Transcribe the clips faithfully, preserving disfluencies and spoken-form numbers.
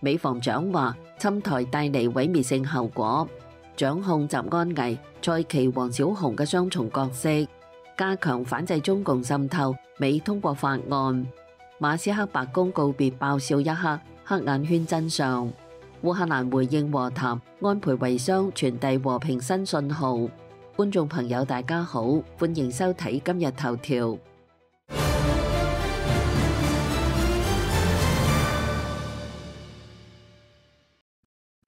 美防長話侵台帶嚟毀滅性後果，掌控習安危、蔡奇、王小洪嘅雙重角色，加強反制中共滲透。美通過法案，馬斯克白宮告別爆笑一刻，黑眼圈真相。烏克蘭回應和談，安倍遺孀傳遞和平新信號。觀眾朋友大家好，歡迎收睇今日頭條。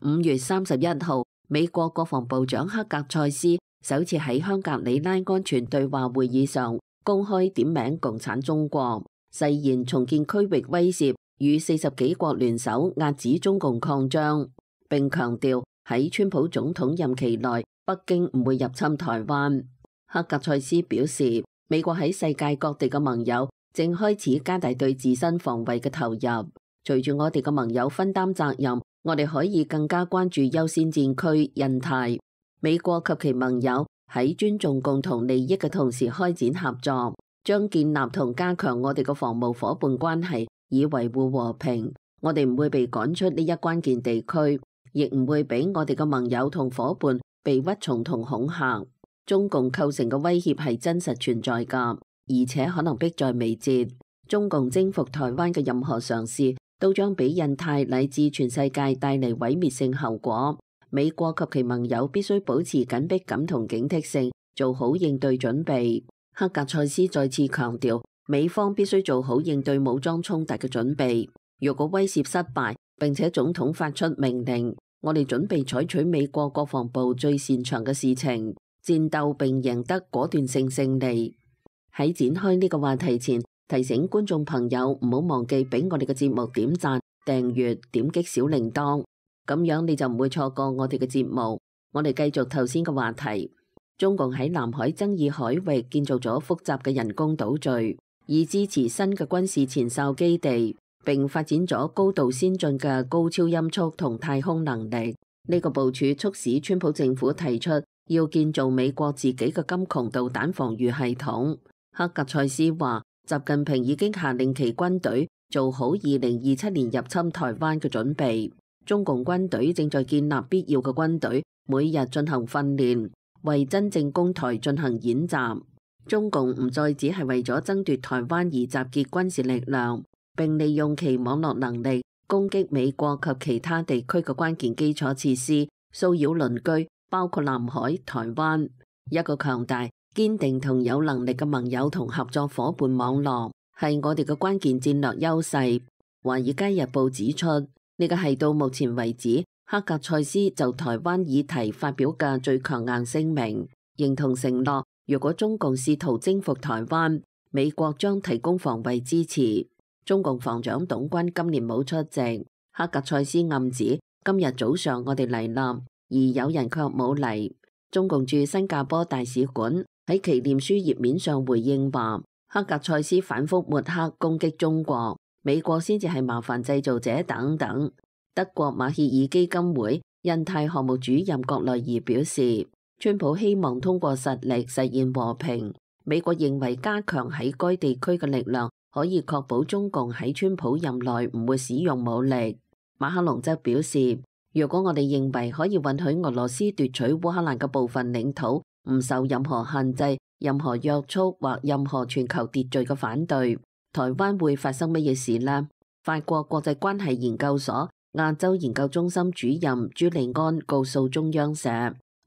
五月三十一號，美國國防部長克格塞斯首次喺香格里拉安全對話會議上公開點名共產中國，誓言重建區域威懾，與四十幾國聯手壓止中共擴張，並強調喺川普總統任期內，北京唔會入侵台灣。克格塞斯表示，美國喺世界各地嘅盟友正開始加大對自身防衛嘅投入，隨住我哋嘅盟友分擔責任，我哋可以更加關注優先戰區印太。美國及其盟友喺尊重共同利益嘅同時開展合作，將建立同加強我哋嘅防務夥伴關係，以維護和平。我哋唔會被趕出呢一關鍵地區，亦唔會俾我哋嘅盟友同夥伴被屈從同恐嚇。中共構成嘅威脅係真實存在㗎，而且可能迫在眉睫。中共征服台灣嘅任何嘗試都將俾印太乃至全世界帶嚟毀滅性後果。美國及其盟友必須保持緊迫感同警惕性，做好應對準備。克格塞斯再次強調，美方必須做好應對武裝衝突嘅準備。如果威懾失敗，並且總統發出命令，我哋準備採取美國國防部最擅長嘅事情，戰鬥並贏得果斷性勝利。喺展開呢個話題前，提醒觀眾朋友唔好忘記俾我哋嘅節目點讚、訂閱、點擊小鈴鐺，咁樣你就唔會錯過我哋嘅節目。我哋繼續頭先嘅話題，中共喺南海爭議海域建造咗複雜嘅人工島嶼，以支持新嘅軍事前哨基地，並發展咗高度先進嘅高超音速同太空能力。呢個部署促使川普政府提出要建造美國自己嘅金窮導彈防禦系統。克格塞斯話，習近平已經下令其軍隊做好二零二七年入侵台灣嘅準備。中共軍隊正在建立必要嘅軍隊，每日進行訓練，為真正攻台進行演習。中共唔再只係為咗爭奪台灣而集結軍事力量，並利用其網絡能力攻擊美國及其他地區嘅關鍵基礎設施，騷擾鄰居，包括南海、台灣。一個強大、堅定同有能力嘅盟友同合作夥伴網絡係我哋嘅關鍵戰略優勢。華爾街日報指出，呢個係到目前為止克格塞斯就台灣議題發表嘅最強硬聲明，認同承諾，如果中共試圖征服台灣，美國將提供防衛支持。中共防長董軍今年冇出席，克格塞斯暗指今日早上我哋嚟啦，而有人卻冇嚟。中共駐新加坡大使館喺其臉書頁面上回應話，克格塞斯反覆抹黑攻擊中國，美國先至係麻煩製造者等等。德國馬歇爾基金會印太項目主任郭內爾表示，川普希望通過實力實現和平，美國認為加強喺該地區嘅力量可以確保中共喺川普任內唔會使用武力。馬克龍則表示，如果我哋認為可以允許俄羅斯奪取烏克蘭嘅部分領土，唔受任何限制、任何約束或任何全球秩序嘅反對，台灣會發生乜嘢事呢？法國國際關係研究所亞洲研究中心主任朱利安告訴中央社，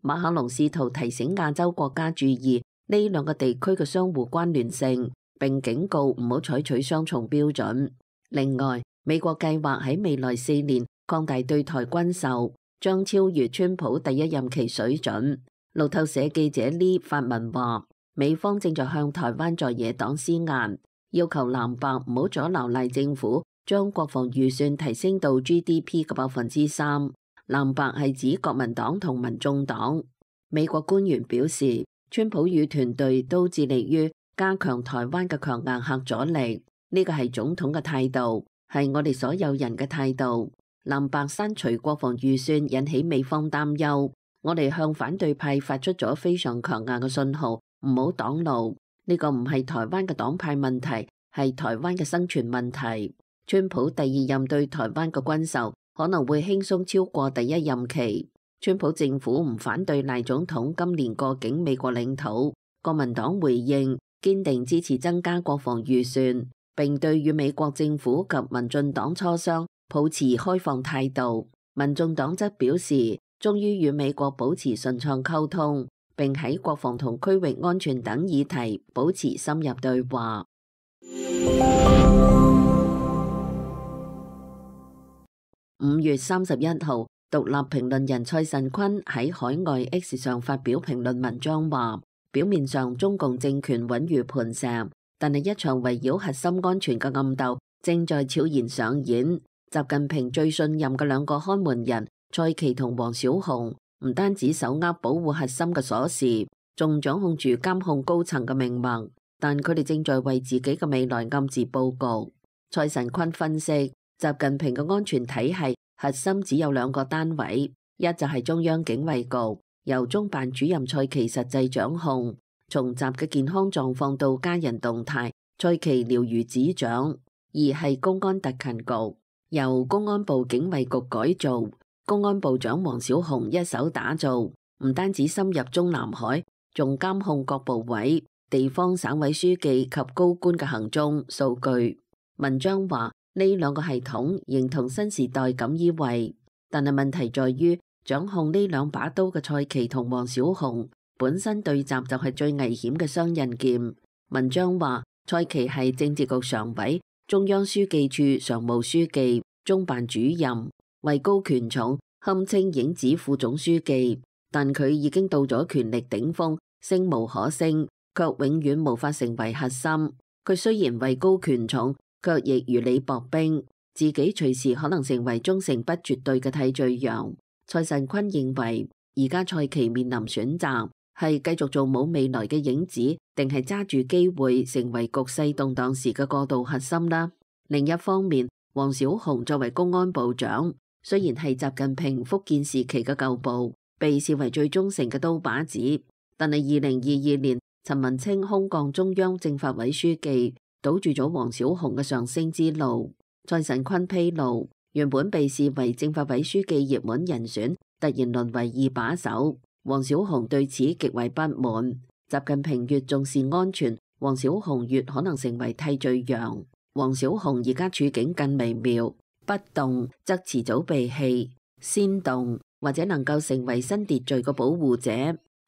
馬克龍試圖提醒亞洲國家注意呢兩個地區嘅相互關聯性，並警告唔好採取雙重標準。另外，美國計劃喺未來四年擴大對台軍售，將超越川普第一任期水準。路透社記者呢發文話，美方正在向台灣在野黨施壓，要求藍白唔好阻撓賴政府將國防預算提升到 G D P 嘅百分之三。藍白係指國民黨同民眾黨。美國官員表示，川普與團隊都致力於加強台灣嘅強硬核阻力，呢個係總統嘅態度，係我哋所有人嘅態度。藍白刪除國防預算引起美方擔憂，我哋向反對派發出咗非常強硬嘅信號，唔好擋路。呢個唔係台灣嘅黨派問題，係台灣嘅生存問題。川普第二任對台灣嘅軍售可能會輕鬆超過第一任期。川普政府唔反對賴總統今年過境美國領土。國民黨回應堅定支持增加國防預算，並對與美國政府及民進黨磋商抱持開放態度。民眾黨則表示，終於與美國保持順暢溝通，並喺國防同區域安全等議題保持深入對話。五月三十一號，獨立評論人蔡慎坤喺海外 X 上發表評論文章話，表面上中共政權穩如磐石，但係一場圍繞核心安全嘅暗鬥正在悄然上演。習近平最信任嘅兩個看門人蔡奇同王小洪，唔單止手握保護核心嘅鎖匙，仲掌控住監控高層嘅命脈，但佢哋正在為自己嘅未來暗自佈局。蔡慎坤分析，習近平嘅安全體系核心只有兩個單位，一就係中央警衛局，由中辦主任蔡奇實際掌控，從習嘅健康狀況到家人動態，蔡奇了如指掌；二係公安特勤局，由公安部警衛局改造，公安部長王小洪一手打造，唔單止深入中南海，仲監控各部委、地方省委書記及高官嘅行蹤數據。文章話呢兩個系統形同新時代錦衣衛，但係問題在於掌控呢兩把刀嘅蔡奇同王小洪本身對習就係最危險嘅雙刃劍。文章話蔡奇係政治局常委、中央書記處常務書記、中辦主任，位高權重，堪稱影子副總書記，但佢已經到咗權力頂峰，升無可升，卻永遠無法成為核心。佢雖然位高權重，卻亦如履薄冰，自己隨時可能成為忠誠不絕對嘅替罪羊。蔡慎坤認為，而家蔡奇面臨選擇，係繼續做冇未來嘅影子，定係揸住機會成為局勢動盪時嘅過渡核心啦。另一方面，王小洪作為公安部長，雖然係習近平福建時期嘅舊部，被視為最忠誠嘅刀把子，但係二零二二年陳文清空降中央政法委書記，堵住咗王小洪嘅上升之路。蔡慎坤披露，原本被視為政法委書記熱門人選，突然淪為二把手。王小洪對此極為不滿。習近平越重視安全，王小洪越可能成為替罪羊。王小洪而家處境更微妙，不動則遲早被棄，先動或者能夠成為新秩序嘅保護者。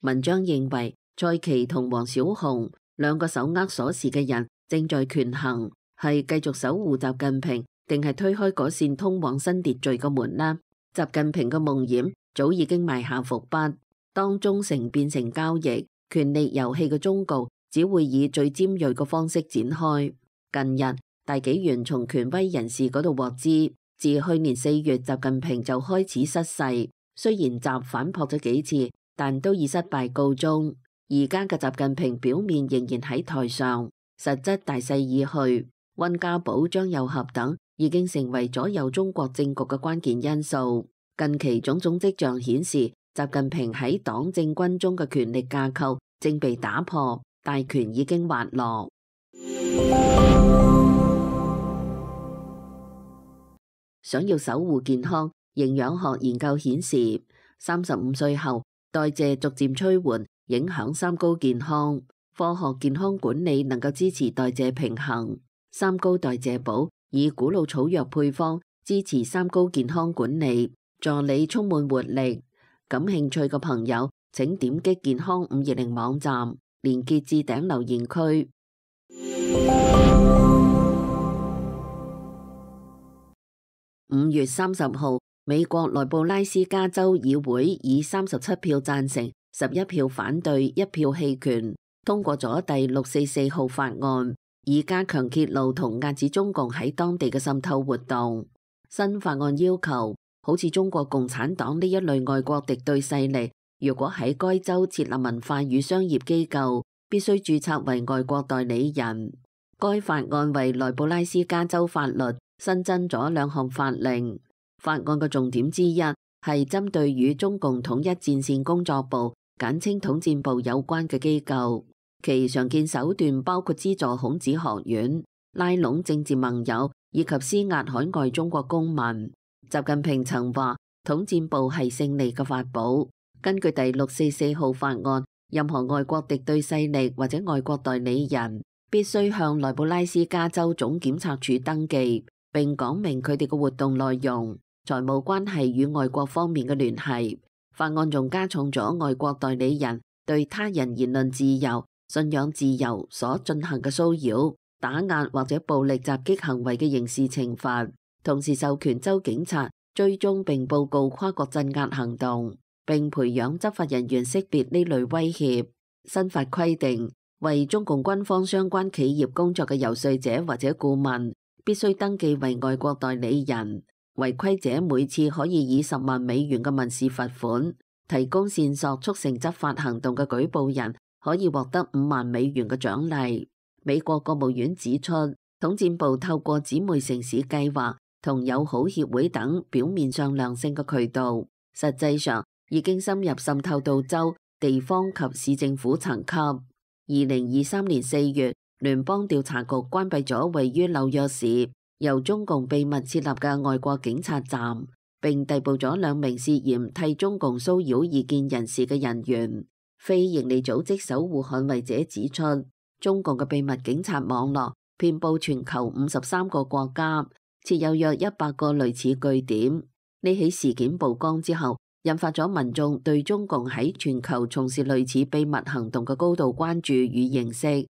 文章認為，蔡奇同王小洪兩個手握鎖匙嘅人正在權衡，係繼續守護習近平，定係推開嗰扇通往新秩序嘅門呢？習近平嘅夢魘早已經埋下伏筆，當忠誠變成交易、權力遊戲嘅終局，只會以最尖銳嘅方式展開。近日，大紀元從權威人士嗰度獲知，自去年四月習近平就開始失勢，雖然習反撲咗幾次，但都以失敗告終。而家嘅習近平表面仍然喺台上，實質大勢已去。溫家寶、張又俠等已經成為左右中國政局嘅關鍵因素。近期種種跡象顯示，習近平喺黨政軍中嘅權力架構正被打破，大權已經滑落。想要守護健康，營養學研究顯示，三十五歲後代謝逐漸趨緩，影響三高健康。科學健康管理能夠支持代謝平衡。三高代謝寶以古老草藥配方支持三高健康管理，助你充滿活力。感興趣嘅朋友，請點擊健康五二零網站，連結置頂留言區。五月三十號，美國內布拉斯加州議會以三十七票贊成、十一票反對、一票棄權，通過咗第六四四號法案，以加強揭露同遏止中共喺當地嘅滲透活動。新法案要求，好似中國共產黨呢一類外國敵對勢力，如果喺該州設立文化與商業機構，必須註冊為外國代理人。該法案為內布拉斯加州法律新增咗兩項法令。法案嘅重點之一係針對與中共統一戰線工作部簡稱統戰部有關嘅機構，其常見手段包括資助孔子學院、拉攏政治盟友以及施壓海外中國公民。習近平曾話統戰部係勝利嘅法寶。根據第六四四號法案，任何外國敵對勢力或者外國代理人必須向內布拉斯加州總檢察署登記，並講明佢哋嘅活動內容、財務關係與外國方面嘅聯繫。法案仲加重咗外國代理人對他人言論自由、信仰自由所進行嘅騷擾、打壓或者暴力襲擊行為嘅刑事懲罰，同時授權州警察追蹤並報告跨國鎮壓行動，並培養執法人員識別呢類威脅。新法規定，為中共軍方相關企業工作嘅遊說者或者顧問必須登記為外國代理人。違規者每次可以以十萬美元嘅民事罰款，提供線索促成執法行動嘅舉報人可以獲得五萬美元嘅獎勵。美國國務院指出，統戰部透過姊妹城市計劃同友好協會等表面上良性嘅渠道，實際上已經深入滲透到州、地方及市政府層級。二零二三年四月，聯邦調查局關閉咗位於紐約市由中共秘密設立嘅外國警察站，並逮捕咗兩名涉嫌替中共騷擾異見人士嘅人員。非營利組織守護捍衛者指出，中共嘅秘密警察網絡遍佈全球五十三個國家，設有約一百個類似據點。呢起事件曝光之後，引發咗民眾對中共喺全球從事類似秘密行動嘅高度關注與認識。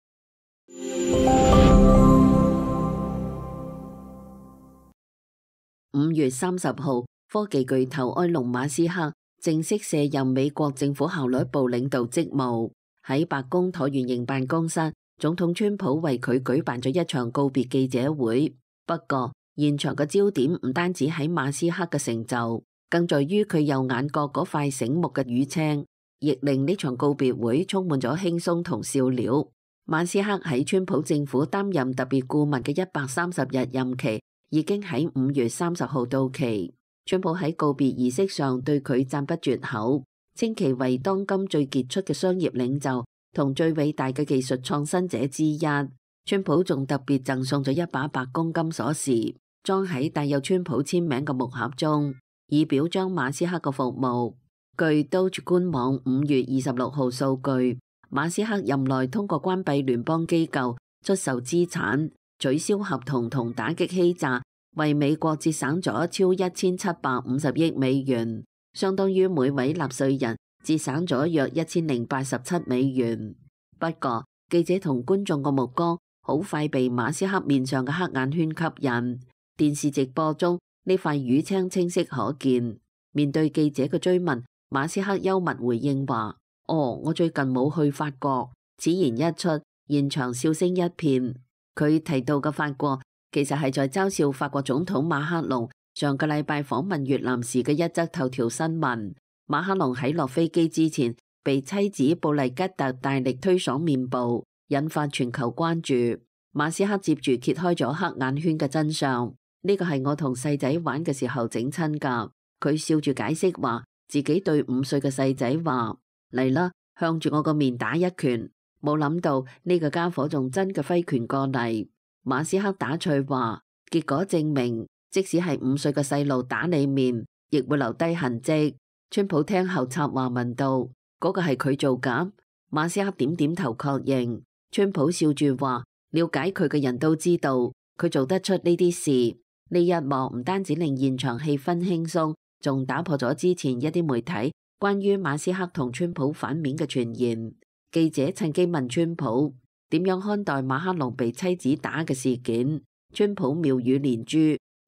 五月三十號，科技巨頭埃隆馬斯克正式卸任美國政府效率部領導職務。喺白宮橢圓形辦公室，總統川普為佢舉辦咗一場告別記者會。不過，現場嘅焦點唔單止喺馬斯克嘅成就，更在於佢右眼角嗰塊醒目嘅乳青，亦令呢場告別會充滿咗輕鬆同笑料。馬斯克喺川普政府擔任特別顧問嘅一百三十日任期已經喺五月三十號到期。川普喺告別儀式上對佢讚不絕口，稱其為當今最傑出嘅商業領袖同最偉大嘅技術創新者之一。川普仲特別贈送咗一把白宮金鎖匙，裝喺帶有川普簽名嘅木盒中，以表彰馬斯克嘅服務。據 Doge 官網五月二十六號數據，馬斯克任內通過關閉聯邦機構、出售資產、取消合同同打擊欺詐，為美國節省咗超一千七百五十億美元，相當於每位納稅人節省咗約一千零八十七美元。不過，記者同觀眾嘅目光好快被馬斯克面上嘅黑眼圈吸引。電視直播中，呢塊乳青清晰可見。面對記者嘅追問，馬斯克幽默回應話：哦，我最近冇去法國。此言一出，現場笑聲一片。佢提到嘅法國，其實係在嘲笑法國總統馬克龍上個禮拜訪問越南時嘅一則頭條新聞。馬克龍喺落飛機之前，被妻子布麗吉特大力推爽面部，引發全球關注。馬斯克接住揭開咗黑眼圈嘅真相，呢個係我同細仔玩嘅時候整親㗎。佢笑住解釋話，自己對五歲嘅細仔話：嚟啦，向住我個面打一拳。冇諗到呢個家伙仲真嘅揮拳過嚟。馬斯克打趣話，結果證明，即使係五歲嘅細路打你面，亦會留低痕跡。川普聽後插話問道：嗰個係佢做㗎？馬斯克點點頭確認。川普笑住話：了解佢嘅人都知道，佢做得出呢啲事。呢一幕唔單止令現場氣氛輕鬆，仲打破咗之前一啲媒體關於馬斯克同川普反面嘅傳言。記者趁機問川普點樣看待馬克龍被妻子打嘅事件。川普妙語連珠：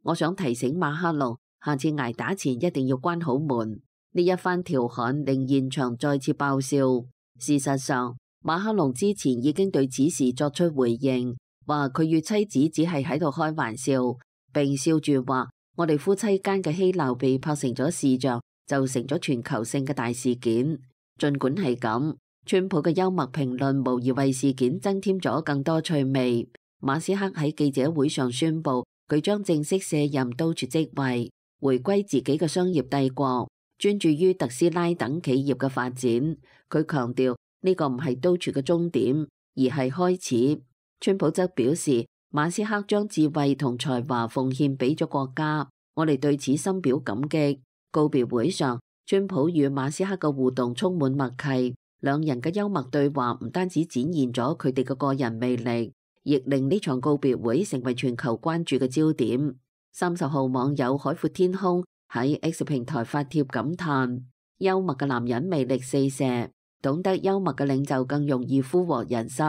我想提醒馬克龍，下次挨打前一定要關好門。呢一番調侃令現場再次爆笑。事實上，馬克龍之前已經對此事作出回應，話佢與妻子只係喺度開玩笑，並笑住話：我哋夫妻間嘅嬉鬧被拍成咗視像，就成咗全球性嘅大事件。儘管係咁，川普嘅幽默評論無疑為事件增添咗更多趣味。馬斯克喺記者會上宣布，佢將正式卸任 Doge 職位，回歸自己嘅商業帝國，專注於特斯拉等企業嘅發展。佢強調呢個唔係 Doge 嘅終點，而係開始。川普則表示，馬斯克將智慧同才華奉獻俾咗國家，我哋對此深表感激。告別會上，川普與馬斯克嘅互動充滿默契，兩人嘅幽默對話唔單止展現咗佢哋嘅個人魅力，亦令呢場告別會成為全球關注嘅焦點。三十號網友海闊天空喺 X 平台發帖感嘆：幽默嘅男人魅力四射，懂得幽默嘅領袖更容易俘獲人心。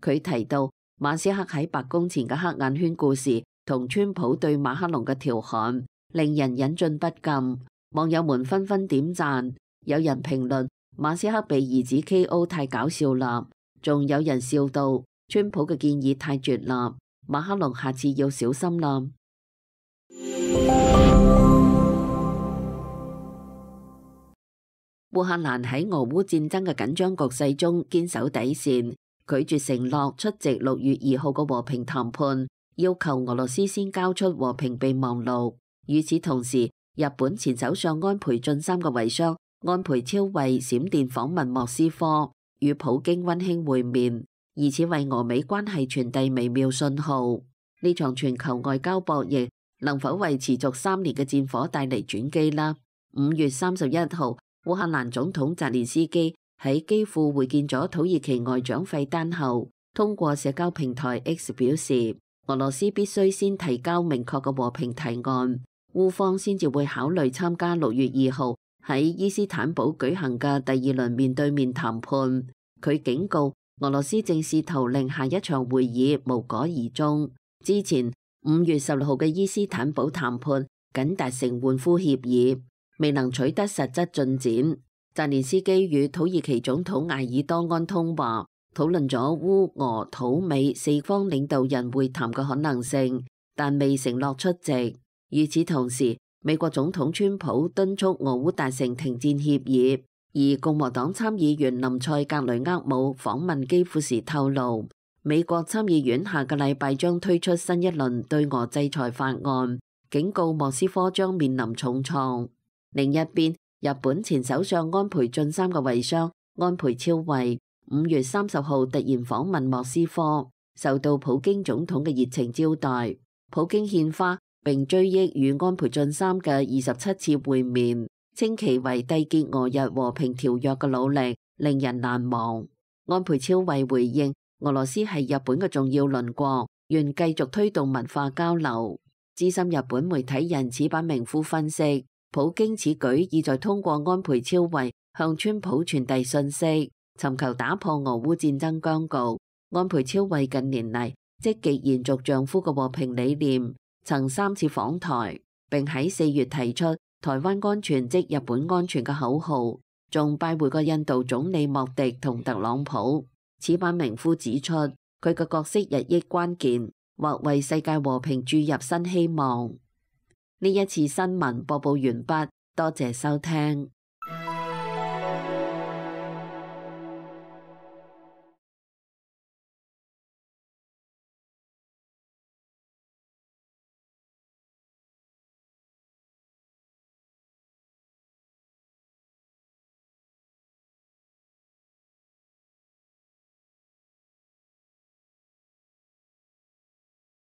佢提到馬斯克喺白宮前嘅黑眼圈故事同川普對馬克龍嘅調侃，令人忍俊不禁。網友們紛紛點讚，有人評論馬斯克被兒子 K O 太搞笑啦，仲有人笑道川普嘅建議太絕啦，馬克龍下次要小心啦。烏克蘭喺俄烏戰爭嘅緊張局勢中堅守底線，拒絕承諾出席六月二號嘅和平談判，要求俄羅斯先交出和平備忘錄。與此同時，日本前首相安倍晉三嘅遺孀安倍昭惠閃電訪問莫斯科，與普京溫馨會面，以此為俄美關係傳遞微妙信號。呢場全球外交博弈能否為持續三年嘅戰火帶嚟轉機呢？五月三十一號，烏克蘭總統澤連斯基喺基輔會見咗土耳其外長費丹後，通過社交平台 X 表示，俄羅斯必須先提交明確嘅和平提案，烏方先至會考慮參加六月二號喺伊斯坦堡舉行嘅第二輪面對面談判。佢警告俄羅斯正試圖令下一場會議無果而終。之前五月十六號嘅伊斯坦堡談判僅達成換俘協議，未能取得實質進展。澤連斯基與土耳其總統埃爾多安通話，討論咗烏俄土美四方領導人會談嘅可能性，但未承諾出席。與此同時，美國總統川普敦促俄烏達成停戰協議，而共和黨參議員林塞格雷厄姆訪問基輔時透露，美國參議院下個禮拜將推出新一輪對俄制裁法案，警告莫斯科將面臨重創。另一邊，日本前首相安倍晉三嘅遺孀安倍昭惠五月三十號突然訪問莫斯科，受到普京總統嘅熱情招待。普京獻花並追憶與安倍晉三嘅二十七次會面，稱其為締結俄日和平條約嘅努力令人難忘。安倍昭惠回應，俄羅斯係日本嘅重要鄰國，願繼續推動文化交流。資深日本媒體人矢板明夫分析，普京此舉意在通過安倍昭惠向川普傳遞信息，尋求打破俄烏戰爭僵局。安倍昭惠近年嚟積極延續丈夫嘅和平理念，曾三次訪台，並喺四月提出台灣安全即日本安全嘅口號，仲拜會過印度總理莫迪同特朗普。矢板明夫指出，佢嘅角色日益關鍵，或為世界和平注入新希望。呢一次新聞播報完畢，多謝收聽。